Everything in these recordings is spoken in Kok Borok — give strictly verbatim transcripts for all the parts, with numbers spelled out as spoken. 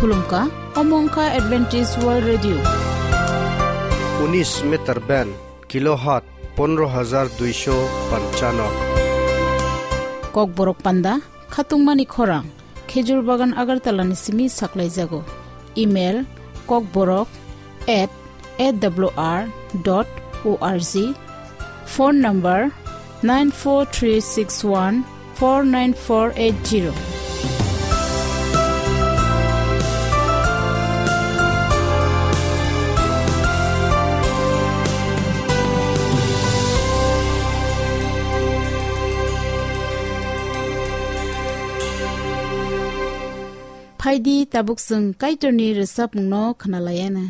Khulumkha, omo wngkha Adventist World Radio. Unis meter band, kilohertz pondro hajar duisho panchano. Kokborok panda, khatungmani khorang, Khejur Bagan Agartala ni simi saklaijago. Email, kokborok at A W R dot O R G. Phone number nine four three six one four nine four eight zero. Phaidi tabuk chwng Kaitorni rwchapmungno khwnalaiana.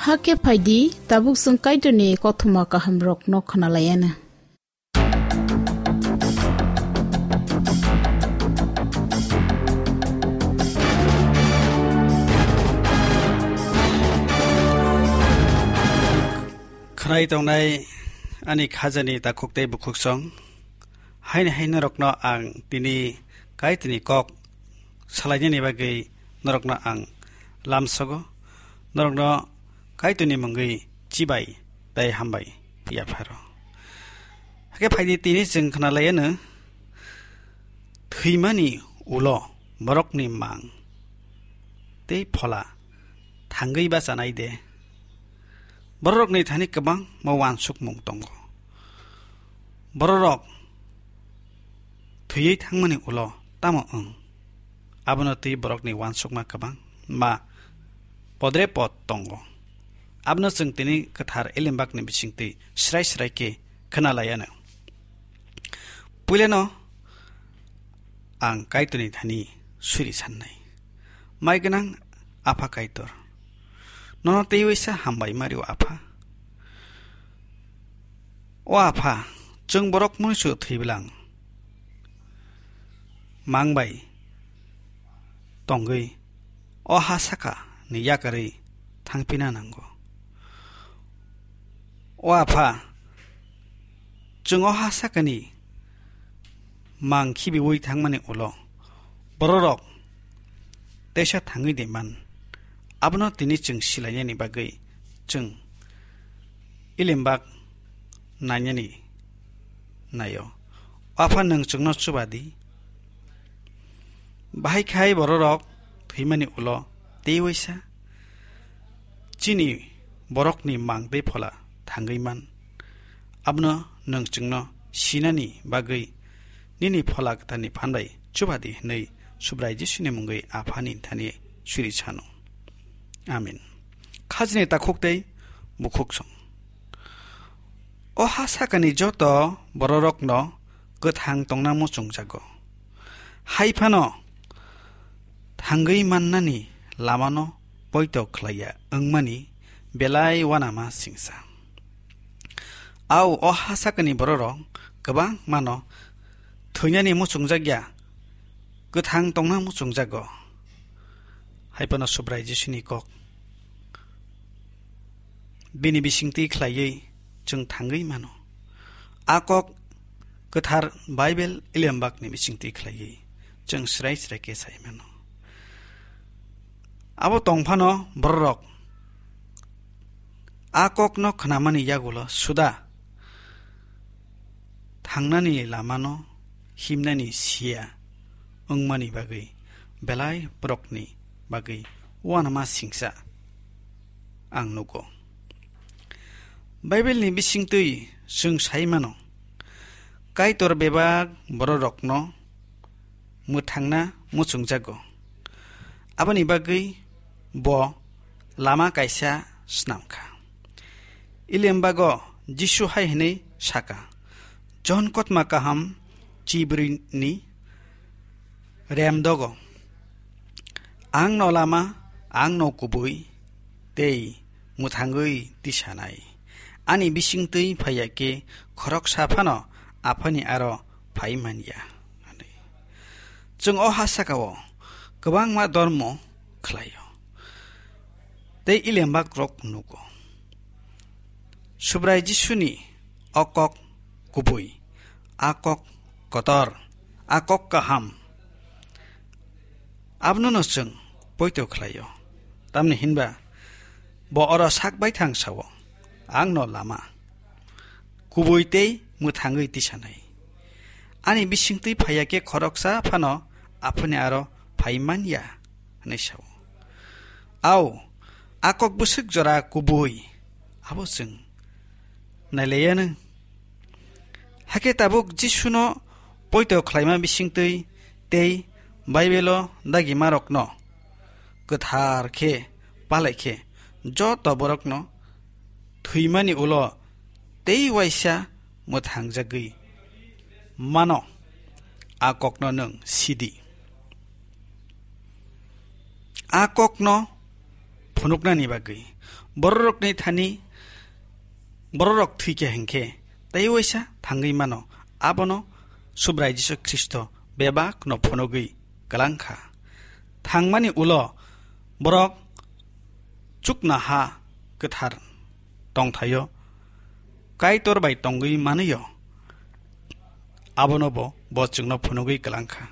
Hakhe phaidi, tabuk chwng Kaitorni kothoma kahamrokno khwnalaianw. Khwnai tongnai ani khajani takhuk tei bukhuksong, haini hai norokno ang tini Kaitorni kok salainani bagwi norokno ang lamsogo, norokno Kaitorni mungwi chibai tei hambai yapharo. Hakhe phaidi tini chwng khwnalaianw, thwimani ulo borokni mang tei phola thangwi bachanai de. Bororokni thani kwbangma uansukmung tongo. Bororok thwiwi thangmani ulo tamo wng? Abono twi borokni uansukma kwbangma podre pod tongo. Abono chwng tini kwthar Elembakni bisingtwi srai srai khe khwnalaianw. Puilano ang Kaitorni thani suri sannai. Mai gwnang Apha Kaitor, nono teiwi sa hambai mario Apha. O Apha, chwng borok mwnwisu thwibwlang mang bai tongwi o ha saka ni yakarwi thangphina nango. O Apha, chwng o ha sakani mang khibiwi thangmani ulo bororok teisa thangwi de man. Abono tini chwng silainani bagwi chwng Elembak nainani naio. Apha, nwng chwngno chuba di. Bahai khai bororok thwimani ulo teiwi sa chini borokni mang tei phola thangwi man. Abono nwng chwngno sinani bagwi nini phola kwtharni phan bai chuba di hwnwi Subrai Jisuni mungwi Aphani thani suri sano. Amen. Khajni takhuk tei bukhuksong. O ha sakani joto bororokno kwthang tongna muchungjago. Hai phano thangwi mannani lamano poito khlaiya wngmani belai uanama singsa. Au, o ha sakani bororok kwbangmano thwinani muchungjakya, kwthang tongna muchungjago. Hai phano Subrai Jisuni kok bini bisingtwi khlaiwi chwng thangwi mano. A kok kwthar Bible Elembakni bisingtwi khlaiwi chwng srai srai khe sai mano. Abo tong phano bororok a kokno khnamani yagulo suda thangnani lamano himnani siya wngmani bagwi belai borokni bagwi uanama singsa ang nugo. Bible ni bisingtwi chwng sai mano, Kaitor bebak bororokno mwthangna muchungjago. Aboni bagwi bo lama kaisa snam kha. Ilembago Jisu hai hwnwi saka, Johon kotma kaham chibrwini rem dogo, "Ang no lama, ang no kubui tei mwthangwi tisanai. Ani bisingtwi phaiya khe khoroksa phano Aphani aro phai man ya," hwnwi. Chwng o ha sakao kwbangma dormo khlaio tei ilembak rok nugo. Subrai Jisuni o kok kubui, a kok kotor, a kok kaham, abono no chwng poito khlaio. Tamni hinba bo oro sak baithang sao, "Ang no lama, kubui tei mwthangwi tisanai. Ani bisingtwi phaiya khe khoroksa phano Aphani aro phai man ya," hwnwi sao. Au, a kok bwswk jora kubui, abo chwng nailaiyano. Hakhe tabuk Jisuno poito khlaima bisingtwi tei Bible-o dagimarokno kwthar khe palai khe joto borokno thwimani ulo tei uaisa mwthangjagwi mano, a kokno nwng sidi. A kokno phunuknani bagwi Bororokni thani bororok thwikha hinkhe tei waisa thangwi mano, abono Subrai Jisu Khristo bebakno phunugwi kwlangkha. Thangmani ulo borok chuknoha kwthar tongthaio Kaitor bai tongwi manwio, abono bo, bo chwngno phunugwi kwlangkha.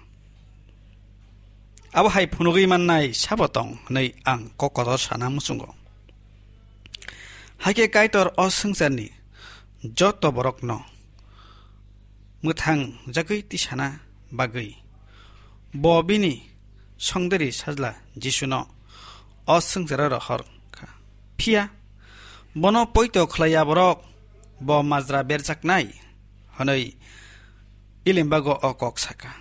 Abo hai phunugwi mannai sabo tong hwnwi ang kok kotor sana muchungo. Hakhe Kaitor o swngcharni joto borokno mwthang jagwi tisana bagwi bo bini songdari sajla Jisuno o swngcharo rohor kha. Phiya bono poito khlaiya borok bo majra berjaknai hwnwi Ilembago o kok saka.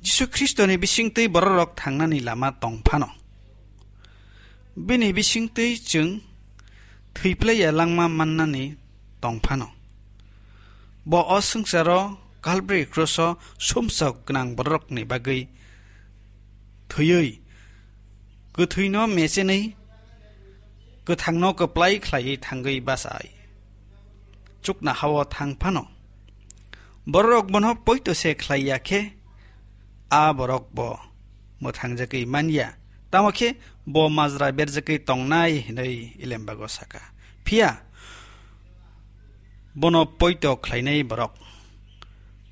Jisu Khristoni bisingtwi bororok thangnani lama tong phano, bini bisingtwi chwng thwiplaiya langma mannani tong phano, bo o swngcharo Kalbari kroso sumsok gwnang bororokni bagwi thwiwi, kwthwino mechenwi, kwthangno kwplai khlaiwi thangwi bachai chuknohao thang phano, bororok bono poito se khlai ya khe, a borok bo mwthangjagwi man ya, tamo khe bo majra berjagwi tongnai hwnwi Ilembago saka. Phiya bono poito khlainai borok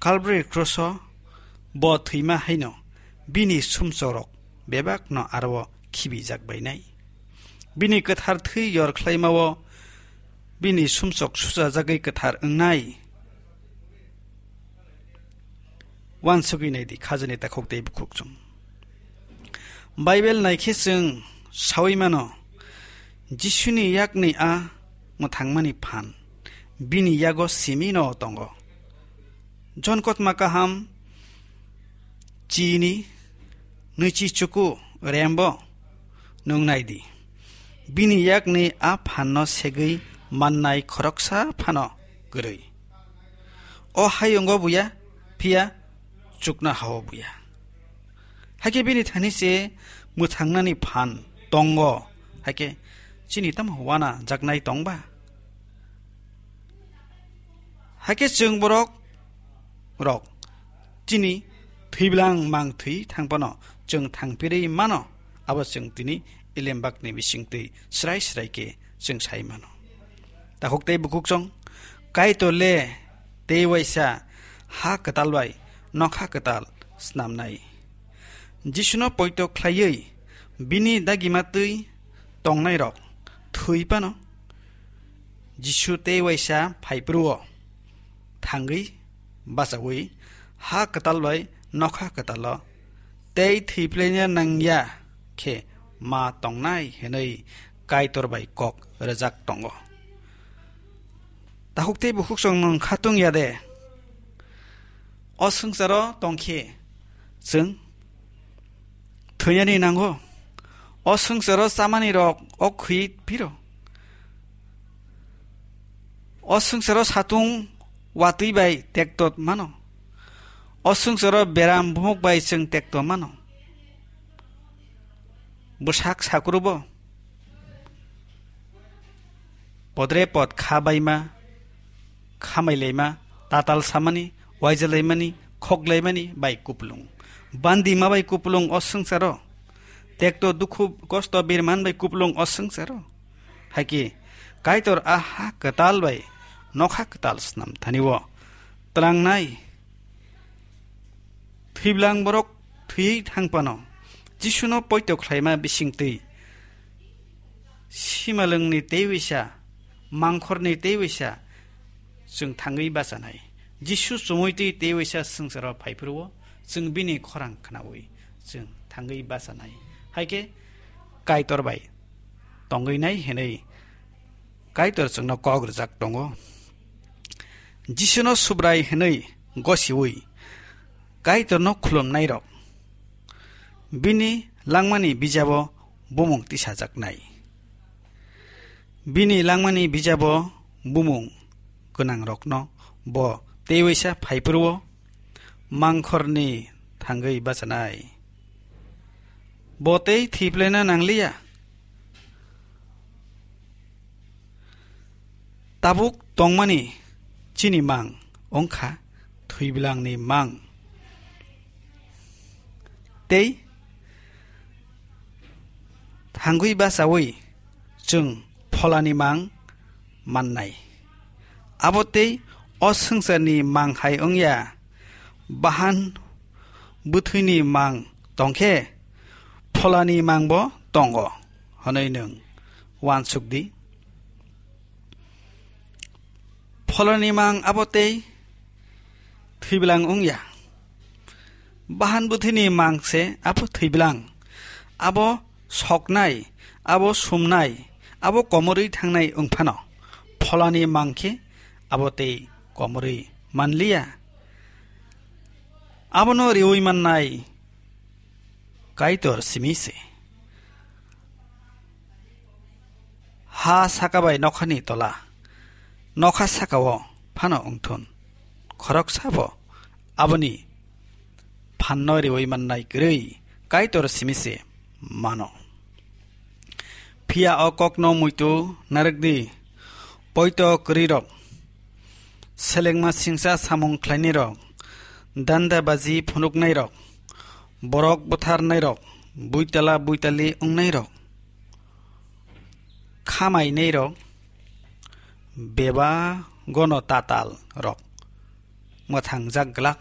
Kalbari kroso bo thwima haino bini sumsokrok bebakno aro khibijak bainai. Bini kwthar thwi yor khlaimao bini sumsok suchajagwi kwthar wngnai. Uansugwi naidi khajani takhuk tei bukhuk chwng. Bible naikhe chwng saui mano, Jisuni yakni a mwthangmani phan bini yago simino tongo. Jon Kotma Kaham chini nwichi chuku rembo nwng naidi. Bini yakni a phanno segwi mannai khoroksa phano kwrwi. O hayungo buya, phiya chuknohao buya. Hakhe bini thani se mwthangnani phan tongo, hakhe chini tamo uanajaknai tongba? Hakhe chwng borok rok chini thwiblang mang thwi thang phano chwng thangphirwi mano, abo chwng tini Ilembakni bisingtwi srai srai khe chwng sai mano. Takhuk tei bukhuk chwng, Kaitor le tei waisa ha kwtal bai nokha kwtal snamnai. Jisuno poito khlaiwi bini dagima twi tongnairok thwi phano Jisu tei waisa phai phuru-o thangwi bachaui ha kwtal bai nokha kwtalo tei thwiplaina nangya khe ma tongnai hwnwi Kaitor bai kok rwjak tongo. Takhuk tei bukhuk chwng nwng khatung ya de? O swngcharo tongkhe chwng thwinani nango. O swngcharo chamani rok o khwi phiro. O swngcharo satung watwi bai tekto mano. O swngcharo beram bumuk bai chwng tekto mano. Bwsak sakrubo podre pod kha baima, khamai laima, tatal samani, waija laimani, khok laimani bai kuplung. Bandi ma bai kuplung o swngcharo. Tekto dukhu kosto birman bai kuplung o swngcharo. Haikhe Kaitor a ha kwtal bai nokha kwtal snam thani-o tlangnai. Thwiblang borok thwiwi thang phano, Jisuno poito khlaima bisingtwi simalwngni tei waisa, mangkhorni tei waisa chwng thangwi bachanai. Jisu chumui twi tei waisa swngcharo phai phuru-o chwng bini khorang khnaui chwng thangwi bachanai. Haikhe Kaitor bai tongwi nai hwnwi Kaitor chwngno kok rwjak tongo. Jisuno Subrai hwnwi gosiui Kaitorno khulumnairok bini langmani bijabo bumung tisajaknai. Bini langmani bijabo bumung gwnangrokno bo tei waisa phai phuru-o mangkhorni thangwi bachanai. Bo tei thwiplaina nangliya. Tabuk tongmani chini mang wngkha thwiblangni mang. Tei thangwi bachaui chwng pholani mang mannai. Abo tei o swngcharni mang hai wngya, bahan bwthwini mang tongkhe pholani mangbo tongo hwnwi nwng uansuk di. Pholani mang abo tei thwiblangni wngya. Bahan bwthwini mang se abo thwiblangni. Abo soknai, abo sumnai, abo komorwi thangnai wngphano pholani mang khe abo tei komorwi manliya. Abono riui mannai Kaitor simi se. Ha saka bai nokhani tola, nokha sakao phano wngthun, khoroksa bo aboni phanno riui mannai kwrwi Kaitor simi se mano. Phiya o kokno muitu narwk di, poito kwrwi rok, selengma singcha samung khlainai rok, danda baji phunuknai rok, borok butharnai rok, buitala buitali wngnai rok, khamainai rok, beba gono tatal rok mwthang jak glak.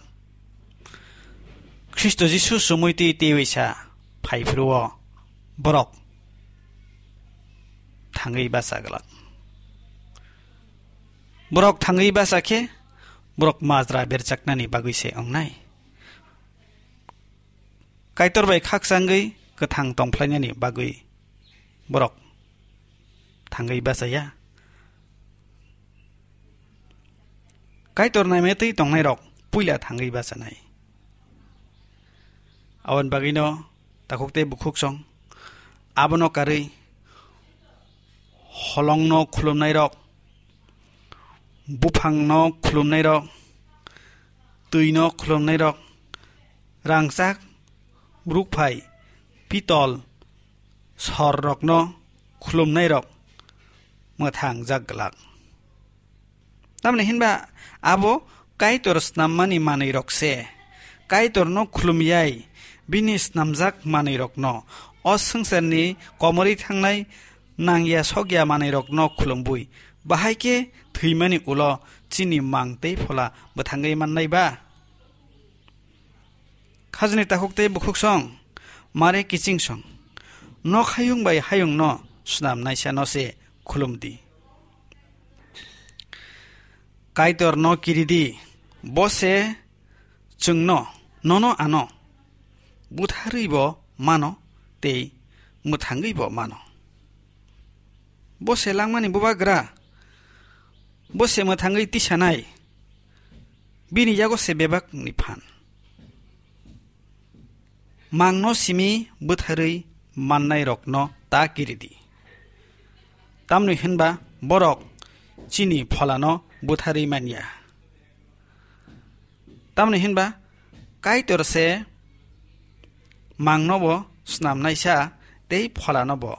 Khristo Jisu sumui twi twiwi sa phai phuru o borok thangwi bacha glak. Borok thangwi bacha khe borok majra berjaknani bagwi se wngnai. Kaitor bai khakchangwi kwthang tongphlainani bagwi borok thangwi bachaya. Kaitor naimetwi tongnairok puila thangwi bachanai. Aboni bagwino takhuk tei bukhuk song abono karwi holongno khulumnairok, buphangno khulumnairok, twino khulumnairok, rangchak, rukphai, pitol, sorrokno khulumnairok mwthang jak glak. Tamni hinba abo Kaitor snammani manwirok se. Kaitorno khulumyai bini snamjak manwirokno o swngcharni komorwi thangnai nangya sokya manwirokno khulumbui bahai khe thwimani ulo chini mang tei phola bwthangwi mannai ba? Khajni takhuk tei bukhuk song, mare kiching song, nok hayung bai hayungno snamnaisa no se khulum di. Kaitor no kiri di, bo se chwngno, nono ano butharwi bo mano tei mwthangwi bo mano. Bo se langmani bubagra, bo se mwthangwi tisanai, bini yago se bebakni phan. Mangno simi bwtharwi mannairokno ta kiri di. Tamni hwnba borok chini pholano bwtharwi manya. Tamni hwnba Kaitor se mangno bo snamnaisa tei pholano bo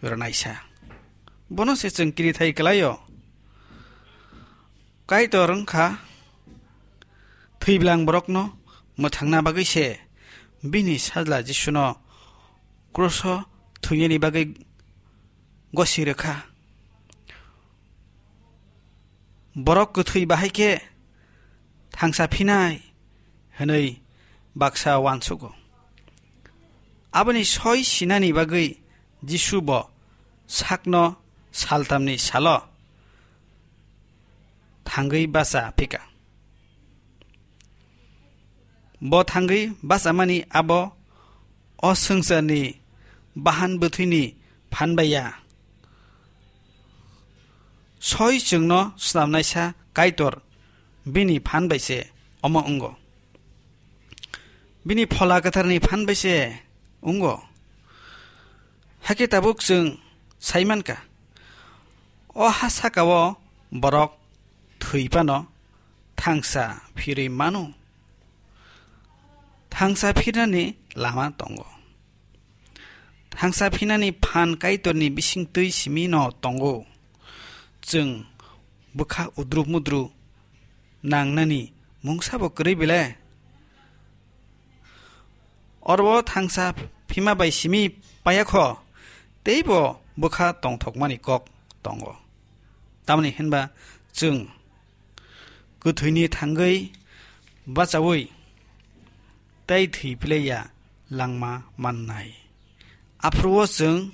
rwnaisa. Bono se chwng kirithai kwlaio. Kaitor wngkha thwiblang borokno mwthangna bagwi se bini sajla Jisuno kroso thwinani bagwi gosi rwkha. Borok kwthwi bahai khe thangsa phinai hwnwi baksa uansugo. Aboni soi sinani bagwi Jisu bo sakno saltamni salo thangwi bacha phika. Bo thangwi bachamani abo o swngcharni bahan bwthwini phan bai ya. Soi chwngno snamnaisa Kaitor bini phan bai se omo wngo. Bini Phola Kwtharni phan bai se wngo. Hakhe tabuk chwng sai mankha, o ha sakao borok thwi phano thangsa phirwi mano. Thangsa phirnani lama tongo. Thangsa phinani phan Kaitorni bisingtwi simi no tongo. Chwng bwkha udru mudru nangnani mungsabo kwrwi bile? Oro thangsa phima bai simi paya kho, teibo bwkha tongthokmani kok tongo. Tamni hinba chwng kwthwini thangwi bachaui tei thwi phlaiya langma mannai. Aphuru-o chwng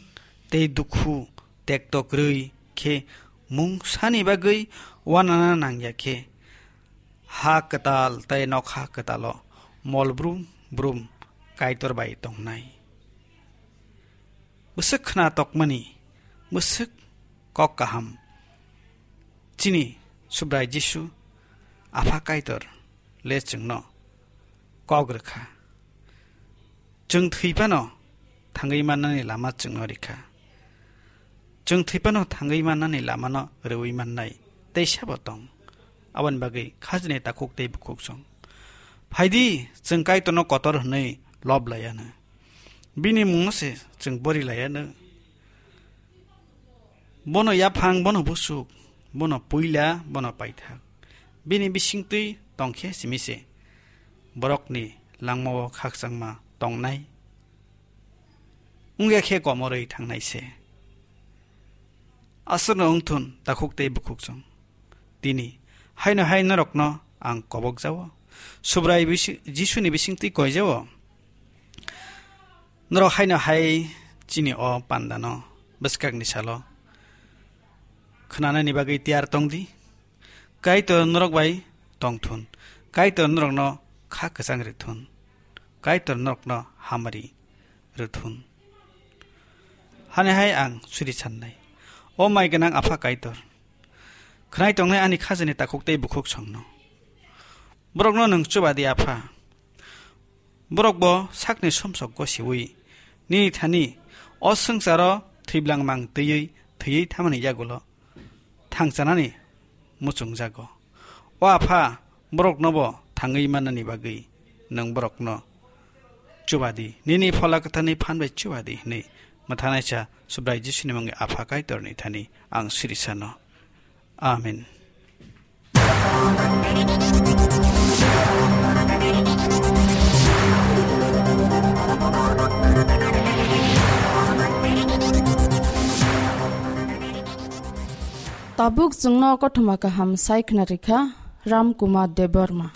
tei dukhu tekto kwrwi khe mungsani bagwi uanana nangya khe, ha kwtal tei nokha kwtalo mol brum brum Kaitor bai tongnai. Bwswk khna tokmani, bwswk kok kaham. Chini Subrai Jisu, Apha Kaitor le chwngno kok rwkha. Chwng thwi phano thangwi mannani lama chwngno rikha. Chwng thwi phano thangwi mannani lamano rwui mannai teisa bo tong. Aboni bagwi khajini takhuk tei bukhuk chwng. Phaidi, chwng Kaitorno kotor hwnwi lob laiya no. Bini mungno se chwng bori laiya no. Bono yaphang, bono busuk, bono puila, bono paithak. Bini bisingtwi tongkhe simi se borokni langmao khakchangma tongnai. Wngya khe komorwi thangnai se. Aswkno wngthun takhuk tei bukhuk chwng. Tini haino hai norokno ang kobok jao. Subrai bisi-, Jisuni bisingtwi koi jao. Norok haino hai chini o pandano bwskakni salo khnanani bagwi tiyar tong di. Kaitor norok bai tongthun. Kaitor norokno kha kwchang rwthun. Kaitor norokno hamari rwthun. Hane hai ang suri sannai. O mai gwnang Apha Kaitor, khwnai tongnai ani khajani takhuk tei bukhuk songno. Borokno nwng chuba di, Apha. Borok bo sakni somsok gosiwi nini thani o swngcharo thwiblangmang twiwi thwiwi thamani yagulo thangchanani muchungjago. O Apha, borokno bo thangwi mannani bagwi nwng borokno chuba di, nini Phola Kwtharni phan bai chuba di hwnwi mwthanaisa Subrai Jisuni mungwi Apha Kaitorni thani ang suri sano. Amen. Tabuk chwngno kothoma kaham sai khna rikha Ram Kumar Debbarma.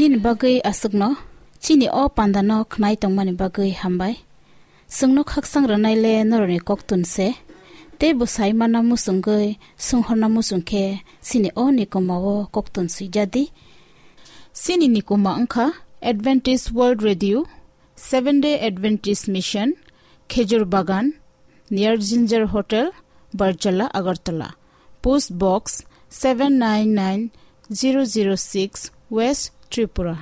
Nini bagwi aswkno chini o pandano khnai tongmani bagwi hambai. Chwngno khaksang rwnaile norokni koktun se. Tei bwsai mana muchungwi swnghorna muchung khe chini o nikoma o koktun swijadi. Chini nikoma wngkha Adventist World Radio, Seven Day Adventist Mission, Khejur Bagan, near Ginger Hotel, Barjala, Agartala. Post Box seven nine nine zero zero six, West Tripura.